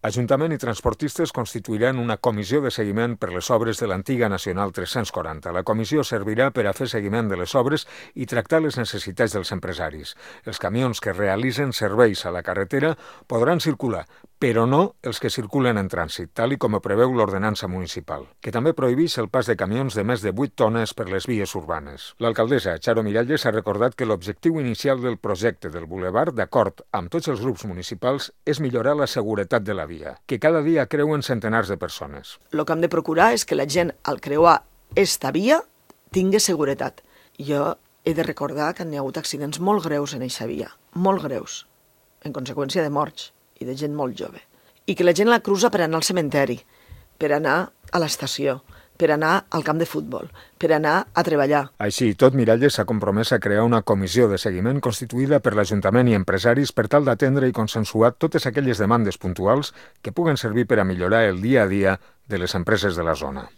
Ajuntament i transportistes constituiran una comissió de seguiment per les obres de l'antiga Nacional 340. La comissió servirà per a fer seguiment de les obres i tractar les necessitats dels empresaris. Els camions que realitzen serveis a la carretera podran circular, però no els que circulen en trànsit, tal com ho preveu l'ordenança municipal, que també prohibeix el pas de camions de més de 8 tones per les vies urbanes. L'alcaldessa, Charo Miralles, ha recordat que l'objectiu inicial del projecte del bulevard, d'acord amb tots els grups municipals, és millorar la seguretat de la via, que cada dia creuen centenars de persones. El que hem de procurar és que la gent, al creuar esta via, tingui seguretat. Jo he de recordar que n'hi ha hagut accidents molt greus en aquesta via, molt greus, en conseqüència de morts i de gent molt jove. I que la gent la cruza per anar al cementeri, per anar a l'estació, per anar al camp de futbol, per anar a treballar. Així i tot, Miralles s'ha compromès a crear una comissió de seguiment constituïda per l'Ajuntament i empresaris per tal d'atendre i consensuar totes aquelles demandes puntuals que puguen servir per a millorar el dia a dia de les empreses de la zona.